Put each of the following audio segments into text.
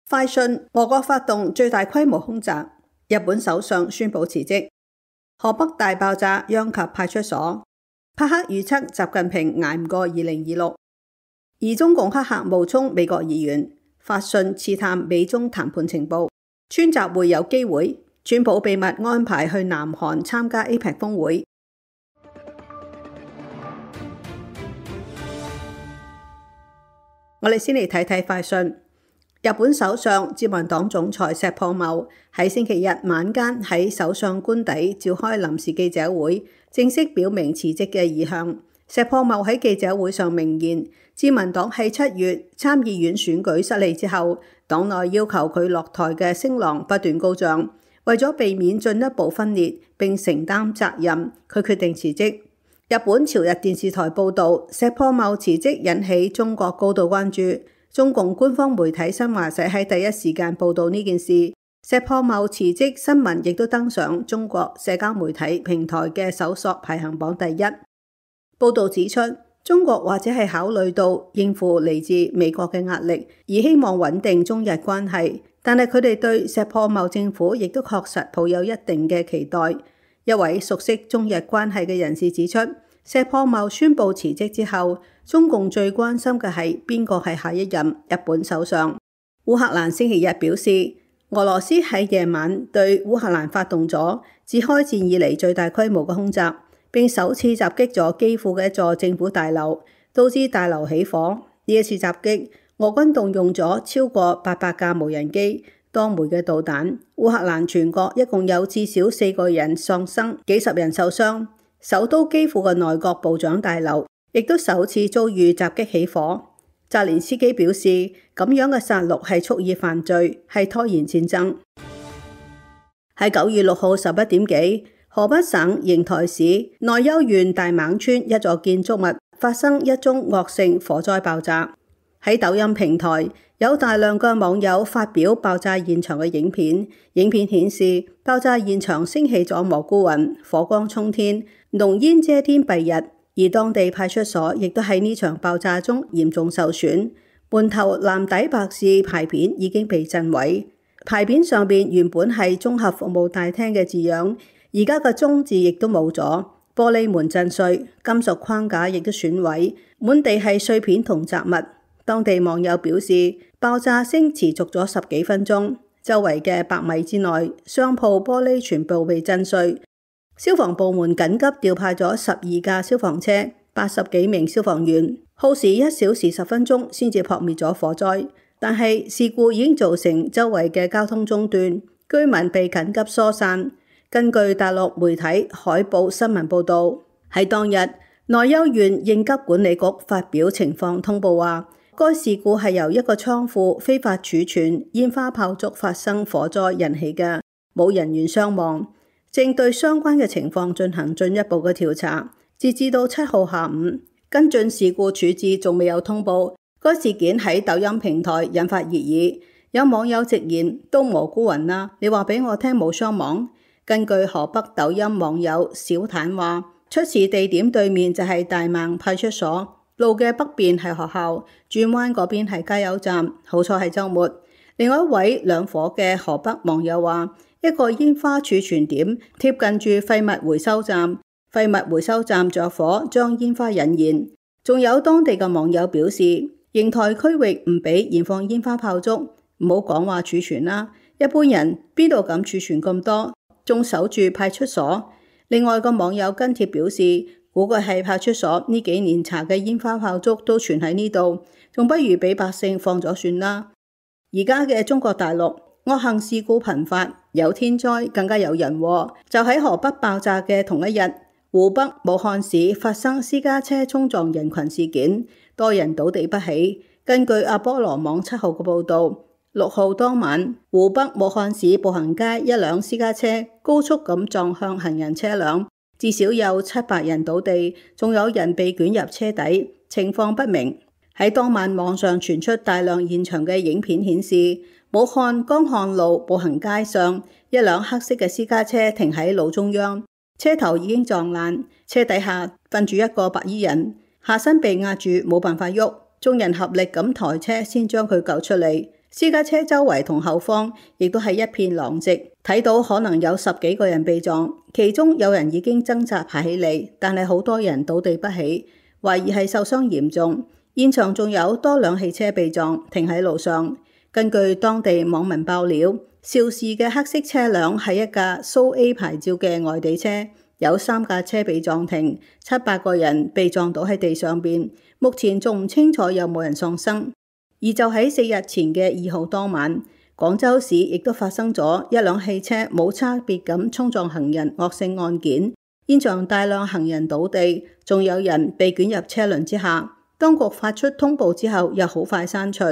快訊：俄國發動最大規模空襲，日本首相宣布辭職。河北大爆炸殃及派出所。帕克預測習近平捱唔過2026。而中共黑客冒充美國議員，發信刺探美中談判情報。川習會有機會，川普秘密安排去南韓參加 APEC 峰會。我哋先嚟睇睇快訊。日本首相自民黨總裁石破茂喺星期日晚間喺首相官邸召開臨時記者會，正式表明辭職嘅意向。石破茂喺記者會上明言，自民黨喺7月參議院選舉失利之後，黨內要求佢落台嘅聲浪不斷高漲，為咗避免進一步分裂並承擔責任，佢決定辭職。日本朝日電視台報導，石破茂辭職引起中國高度關注。中共官方媒體新華社喺第一時間報導呢件事，石破茂辭職新聞亦都登上中國社交媒體平台嘅搜索排行榜第一。報導指出，中國或者係考慮到應付嚟自美國嘅壓力，而希望穩定中日關係，但係佢哋對石破茂政府亦都確實抱有一定嘅期待。一位熟悉中日關係嘅人士指出，石破茂宣布辭職之後，中共最關心嘅係邊個係下一任日本首相。烏克蘭星期日表示，俄羅斯喺夜晚對烏克蘭發動咗自開戰以嚟最大規模嘅空襲，並首次襲擊咗基輔嘅一座政府大樓，導致大樓起火。呢一次襲擊，俄軍動用咗超過800架無人機、多枚嘅導彈。烏克蘭全國一共有至少4個人喪生，幾十人受傷。首都基輔嘅內閣部長大樓亦都首次遭遇襲擊起火。澤連斯基表示，咁樣嘅殺戮係蓄意犯罪，係拖延戰爭。喺9月6號11點幾，河北省邢台市內丘縣大孟村一座建築物發生一宗惡性火災爆炸。喺抖音平台，有大量嘅網友發表爆炸現場嘅影片。影片顯示，爆炸現場升起咗蘑菇雲，火光衝天，濃煙遮天蔽日。而當地派出所亦都喺呢場爆炸中嚴重受損，門頭藍底白字牌匾已經被震毀。牌匾上面原本係綜合服務大廳嘅字樣，而家嘅中字亦都冇咗。玻璃門震碎，金屬框架亦都損毀，滿地係碎片同雜物。當地網友表示，爆炸聲持續咗10幾分鐘，周圍嘅100米之內，商鋪玻璃全部被震碎。消防部門緊急調派咗12架消防車、80幾名消防員，耗時1小時10分鐘先至撲滅咗火災。但係事故已經造成周圍嘅交通中斷，居民被緊急疏散。根據大陸媒體海報新聞報導，喺當日內丘縣應急管理局發表情況通報話，該事故係由一個倉庫非法儲存煙花炮竹發生火災引起嘅，冇人員傷亡。正對相關嘅情況進行進一步嘅調查。截至到7號下午，跟進事故處置仲未有通報。該事件喺抖音平台引發熱議，有網友直言：都蘑菇雲啦，你話俾我聽冇傷亡。根據河北抖音網友小坦話，出事地點對面就係大孟派出所，路嘅北邊係學校，轉彎嗰邊係加油站。好彩係週末。另外一位兩伙嘅河北網友話，一個煙花儲存點貼近住廢物回收站，廢物回收站着火將煙花引燃。仲有當地嘅網友表示，邢台區域唔俾燃放煙花炮竹，唔好講話儲存啦，一般人邊度敢儲存咁多，仲守住派出所。另外個網友跟帖表示，估計係派出所呢幾年查嘅煙花炮竹都存喺呢度，仲不如俾百姓放咗算啦。而家嘅中國大陸惡行事故頻發，有天災更加有人禍。就喺河北爆炸嘅同一日，湖北武漢市發生私家車衝撞人群事件，多人倒地不起。根據阿波羅網7號嘅報導，6號當晚，湖北武漢市步行街一輛私家車高速咁撞向行人車輛，至少有700人倒地，仲有人被捲入車底，情況不明。喺當晚網上傳出大量現場嘅影片顯示，武漢江漢路步行街上，一輛黑色嘅私家車停喺路中央，車頭已經撞爛，車底下瞓住一個白衣人，下身被壓住冇辦法喐，眾人合力咁抬車先將佢救出嚟。私家車周圍同後方亦都係一片狼藉，睇到可能有10幾個人被撞，其中有人已經掙扎爬起嚟，但係好多人倒地不起，懷疑係受傷嚴重。現場仲有多輛汽車被撞，停喺路上。根據當地網民爆料，肇事嘅黑色車輛係一架蘇 A 牌照嘅外地車，有3架車被撞停，7-8個人被撞倒喺地上邊。目前仲唔清楚有冇人喪生。而就喺4日前嘅2號當晚，廣州市亦都發生咗一輛汽車冇差別咁衝撞行人惡性案件，現場大量行人倒地，仲有人被捲入車輪之下。當局發出通報之後，又好快刪除。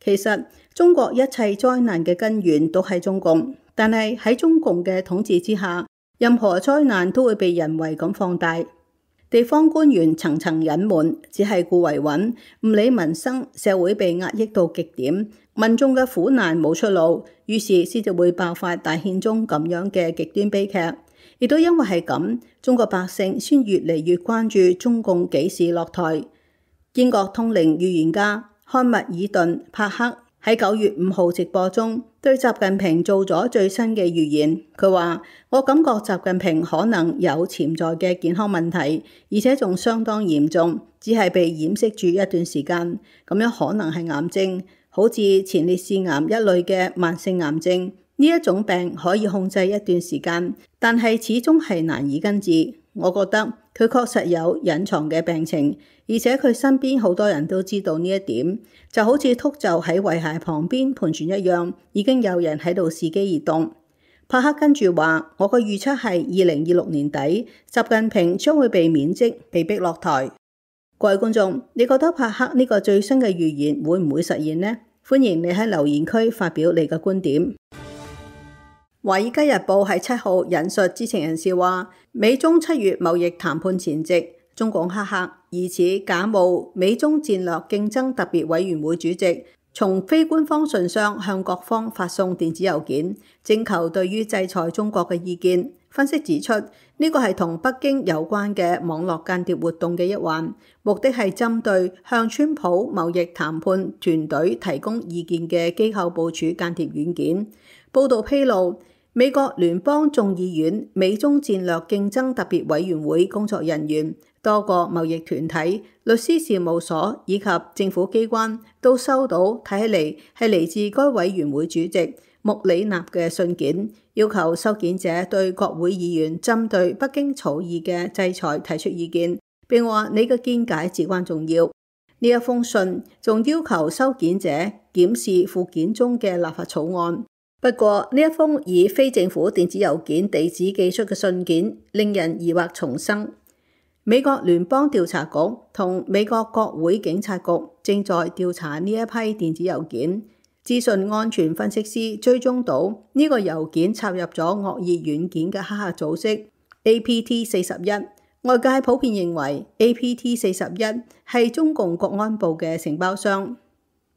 其實中國一切災難嘅根源都係中共，但係喺中共嘅統治之下，任何災難都會被人為咁放大。地方官員層層隱瞞，只係顧維穩，唔理民生，社會被壓抑到極點，民眾嘅苦難冇出路，於是先至會爆發大憲章咁樣嘅極端悲劇。亦都因為係咁，中國百姓先越嚟越關注中共幾時落台。英國通靈預言家漢密爾頓帕克喺9月5號直播中對習近平做咗最新嘅預言。佢話：我感覺習近平可能有潛在嘅健康問題，而且仲相當嚴重，只係被掩飾住一段時間。咁樣可能係癌症，好似前列腺癌一類嘅慢性癌症。呢一種病可以控制一段時間，但係始終係難以根治。我覺得佢確實有隱藏嘅病情，而且佢身邊好多人都知道呢一點，就好似禿鷲喺遺骸旁邊盤旋一樣，已經有人喺度伺機而動。帕克跟住話：我個預測係2026年底，習近平將會被免職，被逼落台。各位觀眾，你覺得帕克呢個最新嘅預言會唔會實現呢？歡迎你喺留言區發表你嘅觀點。華爾街日報喺7號引述知情人士話，美中7月貿易談判前夕，中共黑客疑似假冒美中戰略競爭特別委員會主席，從非官方信箱向各方發送電子郵件，徵求對於制裁中國嘅意見。分析指出，呢個係同北京有關嘅網絡間諜活動嘅一環，目的係針對向川普貿易談判團隊提供意見嘅機構部署間諜軟件。報道披露，美國聯邦眾議院美中戰略競爭特別委員會工作人員、多個貿易團體、律師事務所以及政府機關都收到睇起嚟係嚟自該委員會主席穆里納嘅信件，要求收件者對國會議員針對北京草擬嘅制裁提出意見，並話你嘅見解至關重要。呢一封信仲要求收件者檢視附件中嘅立法草案。不過呢一封以非政府電子郵件地址寄出嘅信件，令人疑惑重生。美國聯邦調查局同美國國會警察局正在調查呢一批電子郵件。資訊安全分析師追蹤到呢個郵件插入咗惡意軟件嘅黑客組織 APT41。外界普遍認為 APT41 係中共國安部嘅承包商。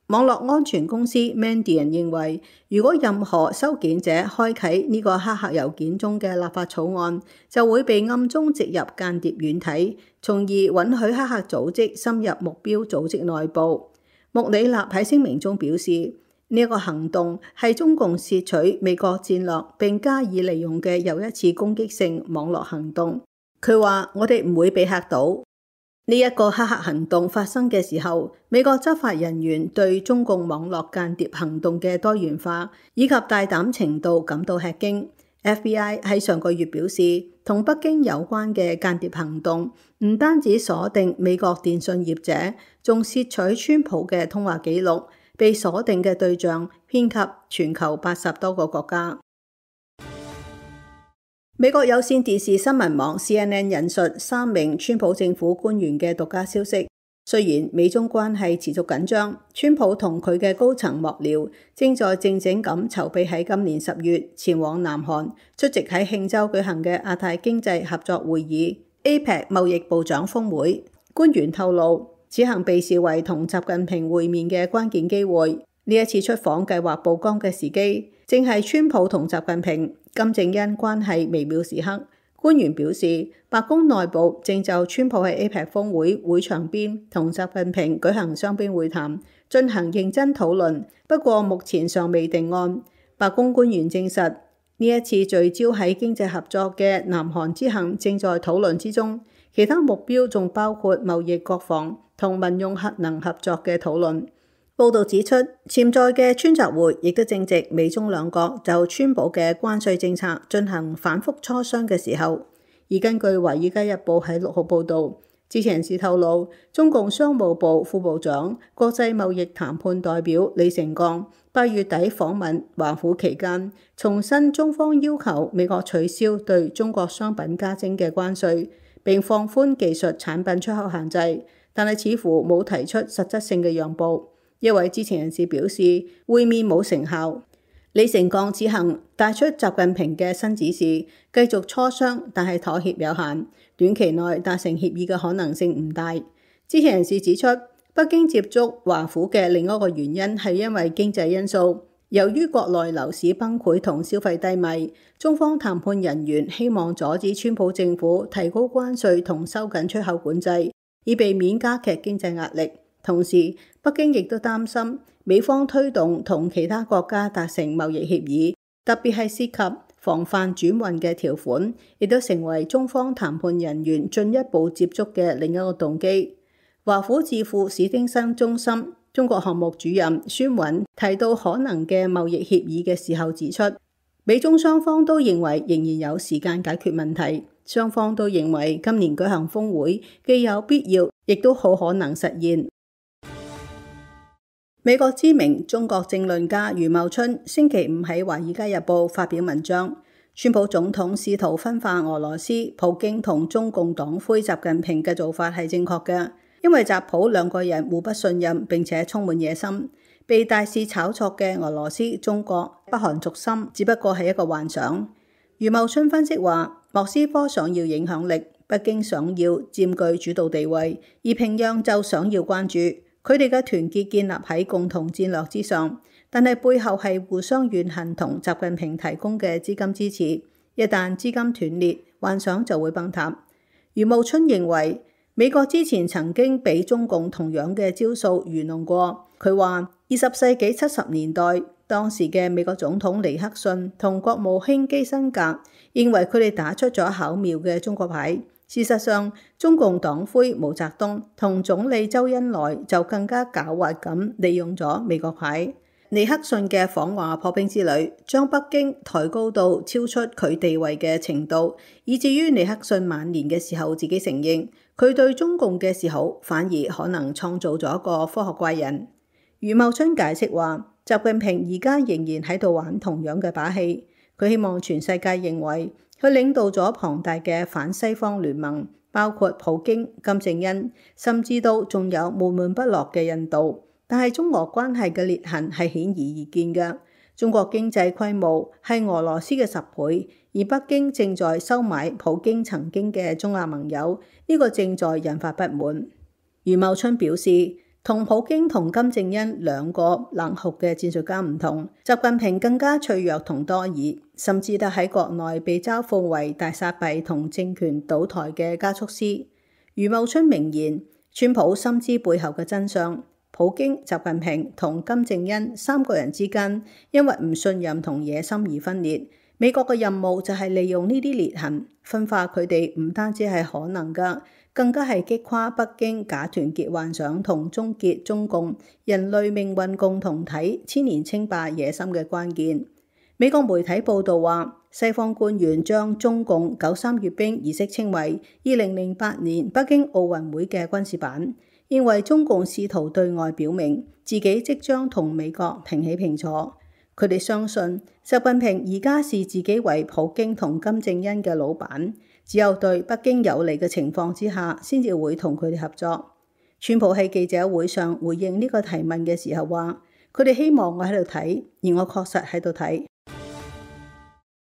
網絡安全公司 Mandiant 認為，如果任何收件者開啟呢個黑客郵件中嘅立法草案，就會被暗中植入間諜軟體，從而允許黑客組織深入目標組織內部。穆里納喺聲明中表示，呢一個行動係中共竊取美國戰略並加以利用嘅又一次攻擊性網絡行動。佢話：我哋唔會被嚇到。呢一個黑客行動發生嘅時候，美國執法人員對中共網絡間諜行動嘅多元化以及大膽程度感到吃驚。FBI 喺上個月表示，同北京有關嘅間諜行動唔單止鎖定美國電信業者，仲竊取川普嘅通話記錄，被鎖定嘅對象遍及全球80多個國家。美國有線電視新聞網 CNN 引述3名川普政府官員嘅獨家消息，雖然美中關係持續緊張，川普同佢嘅高層幕僚正在靜靜咁籌備喺今年10月前往南韓出席喺慶州舉行嘅亞太經濟合作會議 APEC 貿易部長峰會。官員透露，此行被視為同習近平會面嘅關鍵機會。呢一次出訪計劃曝光嘅時機，正係川普同習近平、金正恩關係微妙時刻。官員表示，白宮內部正就川普喺 APEC 峰會會場邊同習近平舉行雙邊會談，進行認真討論，不過目前尚未定案。白宮官員證實，呢一次聚焦喺經濟合作嘅南韓之行正在討論之中，其他目標仲包括貿易、國防同民用核能合作嘅討論。報道指出，潛在嘅川習會亦都正值美中兩國就川普嘅關稅政策進行反覆磋商嘅時候。而根據《華爾街日報》喺6號報導，知情人士透露，中共商務部副部長、國際貿易談判代表李成鋼8月底訪問華府期間，重申中方要求美國取消對中國商品加徵嘅關稅，並放寬技術產品出口限制，但係似乎冇提出實質性嘅讓步。一位知情人士表示，會面冇成效。李成鋼此行帶出習近平嘅新指示，繼續磋商，但係妥協有限，短期內達成協議嘅可能性唔大。知情人士指出，北京接觸華府嘅另一個原因係因為經濟因素。由於國內樓市崩潰同消費低迷，中方談判人員希望阻止川普政府提高關稅同收緊出口管制，以避免加劇經濟壓力。同時，北京亦都擔心美方推動同其他國家達成貿易協議，特別係涉及防範轉運嘅條款，亦都成為中方談判人員進一步接觸嘅另一個動機。華府智庫史丁生中心中國項目主任孫韻提到可能嘅貿易協議嘅時候指出，美中雙方都認為仍然有時間解決問題，雙方都認為今年舉行峰會既有必要，亦都好可能實現。美國知名中國政論家余茂春星期五喺《華爾街日報》發表文章，川普總統試圖分化俄羅斯、普京同中共黨魁習近平嘅做法係正確嘅，因為習普兩個人互不信任並且充滿野心，被大肆炒作嘅俄羅斯、中國、北韓軸心只不過係一個幻想。余茂春分析話，莫斯科想要影響力，北京想要佔據主導地位，而平壤就想要關注。佢哋嘅團結建立喺共同戰略之上，但係背後係互相怨恨同習近平提供嘅資金支持。一旦資金斷裂，幻想就會崩塌。余茂春認為，美國之前曾經俾中共同樣嘅招數愚弄過。佢話，20世紀70年代，當時嘅美國總統尼克遜同國務卿基辛格認為佢哋打出咗巧妙嘅中國牌。事實上，中共黨魁毛澤東同總理周恩來就更加狡猾咁利用咗美國牌。尼克遜嘅訪華破冰之旅，將北京抬高到超出佢地位嘅程度，以至於尼克遜晚年嘅時候自己承認，佢對中共嘅示好反而可能創造咗一個科學怪人。余茂春解釋話，習近平而家仍然喺度玩同樣嘅把戲，佢希望全世界認為佢領導咗龐大嘅反西方聯盟，包括普京、金正恩，甚至到仲有悶悶不樂嘅印度。但係中俄關係嘅裂痕係顯而易見嘅。中國經濟規模係俄羅斯嘅10倍，而北京正在收買普京曾經嘅中亞盟友，呢個正在引發不滿。余茂春表示，同普京同金正恩兩個冷酷嘅戰術家唔同，習近平更加脆弱同多疑，甚至得喺國內被嘲諷為大撒幣同政權倒台嘅加速師。余茂春明言，川普深知背後嘅真相，普京、習近平同金正恩三個人之間因為唔信任同野心而分裂。美國嘅任務就係利用呢啲裂痕分化佢哋，唔單止係可能㗎，更加係擊垮北京假團結幻想同終結中共人類命運共同體千年稱霸野心嘅關鍵。美國媒體報道話，西方官員將中共93閱兵儀式稱為2008年北京奧運會嘅軍事版，認為中共試圖對外表明自己即將同美國平起平坐。佢哋相信習近平而家視自己為普京同金正恩嘅老闆，只有對北京有利嘅情況之下，先至會同佢哋合作。川普喺記者會上回應呢個提問嘅時候話，佢哋希望我喺度睇，而我確實喺度睇。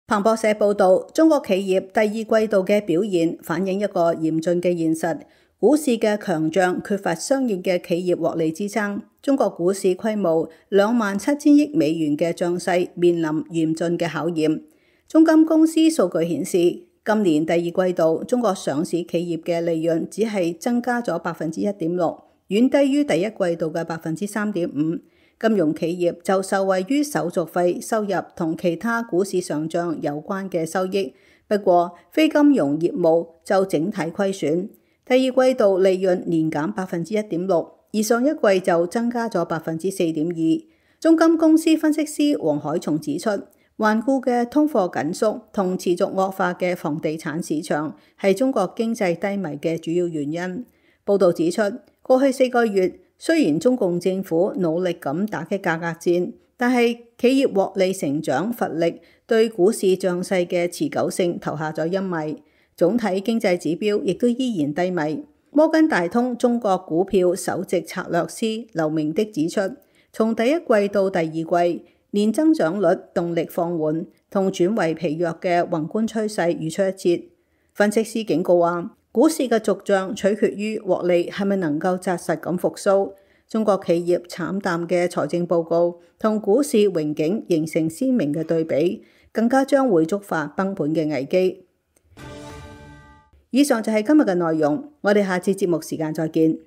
彭博社報道，中國企業第二季度嘅表現反映一個嚴峻嘅現實，股市嘅強漲缺乏相應嘅企業獲利支撐，中國股市規模27,000億美元嘅漲勢面臨嚴峻嘅考驗。中金公司數據顯示，今年第二季度中國上市企業嘅利潤只係增加咗1.6%，遠低於第一季度嘅3.5%。金融企業就受惠於手續費收入同其他股市上漲有關嘅收益，不過非金融業務就整體虧損。第二季度利潤年減1.6%，而上一季就增加咗4.2%。中金公司分析師黃海松指出，頑固嘅通貨緊縮同持續惡化嘅房地產市場係中國經濟低迷嘅主要原因。報導指出，過去4個月，雖然中共政府努力咁打擊價格戰，但係企業獲利成長乏力，對股市漲勢嘅持久性投下咗陰霾。總體經濟指標亦都依然低迷。摩根大通中國股票首席策略師劉明的指出，從第一季到第二季，年增長率動力放緩同轉為疲弱嘅宏觀趨勢如出一轍。分析師警告話，股市嘅續漲取決於獲利係咪能夠紮實咁復甦。中國企業慘淡嘅財政報告同股市榮景形成鮮明嘅對比，更加將會觸發崩盤嘅危機。以上就係今日嘅內容，我哋下次節目時間再見。